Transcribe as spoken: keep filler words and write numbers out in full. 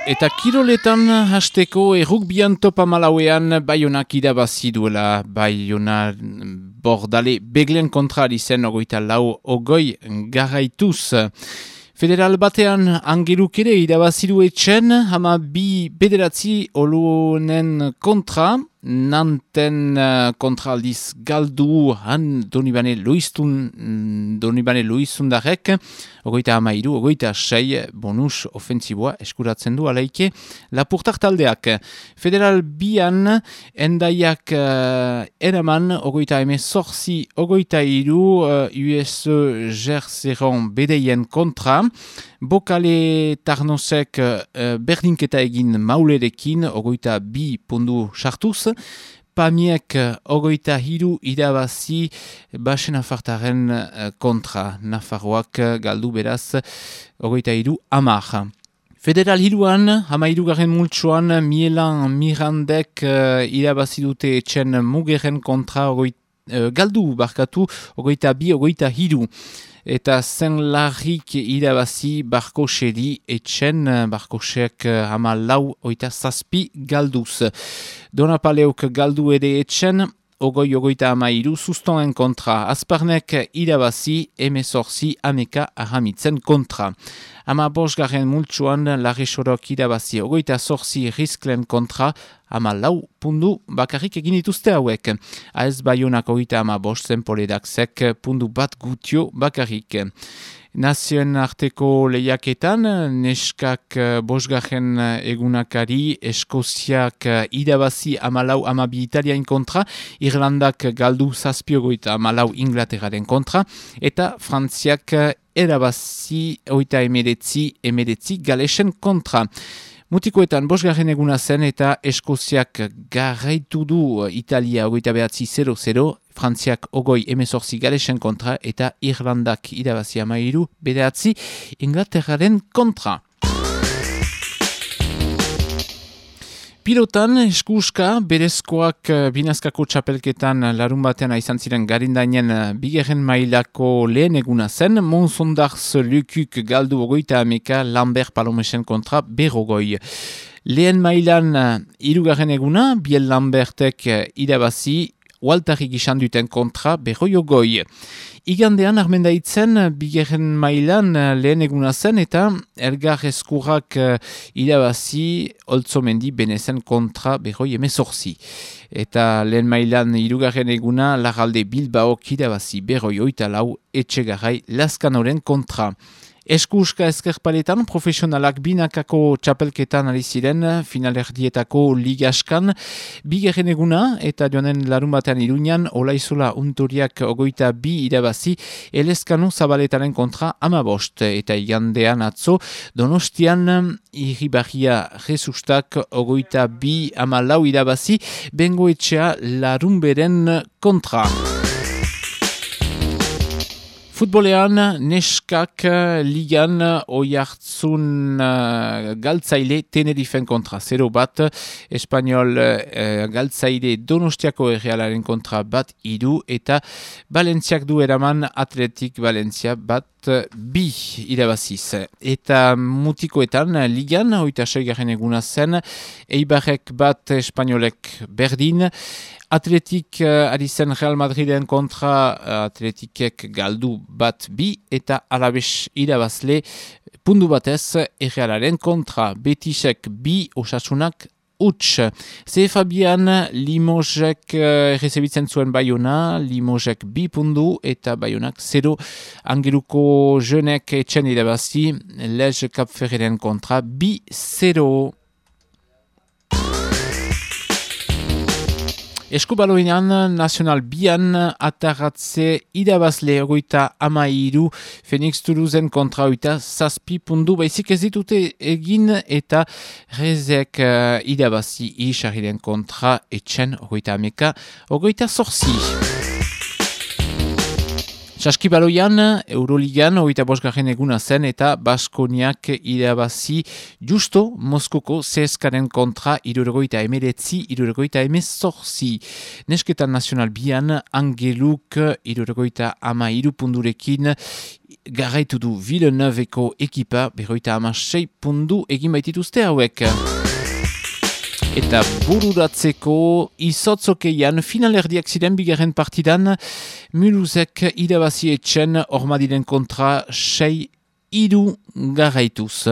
Eta kiroletan hasteko errukbian topa malauean Baionak irabazi duela. Baiona bordale beglen kontra izen ogoita lau ogoi garaituz. Federal batean Angeluk ere irabazi du etxen, hama bi bederatzi olunen kontra, Nanten uh, kontra aldiz galdu han Donibane Luiztun, Donibane Luizundarek, ogoita amairu, ogoita sei bonus ofensiboa eskuratzen du alaike lapurtar taldeak. Federal bian endaiak uh, eraman, ogoita eme zorzi, ogoita iru, uh, U S E Gerzeron bedeien kontra, Bokale Tarnosek uh, berdinketa egin maulerekin, ogoita bi pundu sartuz, Pamiek ogoita hiru irabazi basen afartaren kontra. Nafarroak galdu beraz ogoita hiru amar. Federal hiruan, hama hirugarren multsuan, Mielan Mirandek uh, irabazi dute etxen mugeren kontra ogoita, uh, galdu barkatu ogoita bi, ogoita hiru. Eta zen larrik irabazi Barkoseri etxen, Barkosek hama lau oita zazpi galduz. Donapaleuk galdu ere etxen, ogoi ogoita hama iru sustoen kontra. Azparnek irabazi emezorzi ameka ahamitzen kontra. Hama bosgarren multsuan Larresorok irabazi ogoita zorzi risklen kontra, hama lau pundu bakarrik egin dituzte hauek. Aez Baionak ogoita hama bost zenpoledaksek pundu bat gutio bakarrik. Nazioen arteko lehiaketan, neskak bosgarren egunakari, Eskoziak irabazi amalau amabi Italiain kontra, Irlandak galdu zazpiogoita amalau Inglaterraren kontra, eta Frantziak erabazi oita emeretzi, emeretzi Galesen kontra. Mutikoetan bosgarren eguna zen eta Eskoziak garaitu du Italia ogoita behatzi zero zero, Frantziak ogoi emezorzi Galesen kontra eta Irlandak irabazi amairu behatzi Inglaterraren kontra. Pilotan, eskuska, berezkoak binazkako txapelketan larun batean izan ziren garindainen bigarren mailako lehen eguna zen, Monsondarz Lukuk galdu ogoita ameka Lambert Palomesen kontra berrogoi. Lehen mailan hirugarren eguna, Biel Lambertek irabazi, Waltarik izan duten kontra berroiogoi. Igandean armendaitzen bigarren mailan lehen eguna zen eta Elgar Eskurrak irabazi Oltzomendi Benezen kontra berroi emezorzi. Eta lehen mailan hirugarren eguna Larralde Bilbaok irabazi berroi oita lau Etxegarai Laskanoren kontra. Eskuska eskerpaletan profesionalak binakako txapelketan ari ziren finalerdietako ligaskan bigarren eguna eta joanen larun batean Iruñan Olaizola Untoriak ogoita bi irabazi Elezkanu Zabaletaren kontra amabost eta igandean atzo Donostian Irribarria Jesustak ogoita bi ama lau irabazi Bengoetxea Larunberen kontra. Futbolean, neskak ligan oiartzun uh, galtzaile Tenerifen kontra zero bat, Espanyol uh, galtzaile Donostiako errealaren kontra bat iru, eta Valentziak du eraman Atletik Valentzia bat bi irabaziz. Eta mutikoetan, ligan, oita seigarren eguna zen, Eibarrek bat Espanyolek berdin, Atletik uh, ari zen Real Madriden kontra uh, Atletikek galdu bat bi eta Alabes irabazle pundu batez Errealaren kontra Betisek bi Osasunak uts. C F A bian Limosek uh, errezebitzen zuen Baiona, Limosek bi pundu eta Baionak zero. Angeluko jenek etxen irabazi Lez Kapferreren kontra bi zero. Eskubaloinan, Nacional bian atarratze irabazle ogoita amairu Phoenix Toulousen kontra oita zazpi pundu baizik ez ditute egin eta Rezek uh, irabazi isariren kontra etxen ogoita ameka ogoita zorzi. Saskibaloian, Euroligan, oita bosgarren eguna zen eta Baskoniak irabazi justo Moskoko C S K-ren kontra irurogoita emeretzi, irurogoita emezorzi. Nesketan Nacional bian, Angeluk irurogoita ama irupundurekin garaitu du Villeneuve-eko ekipa, berroita ama sei pundu egin baitituzte hauek. Eta bururatzeko izotzokeian finalerdiak ziren bigarren partidan, Mulhousek irabazi etxen ormadiren kontra sei iru garaituz.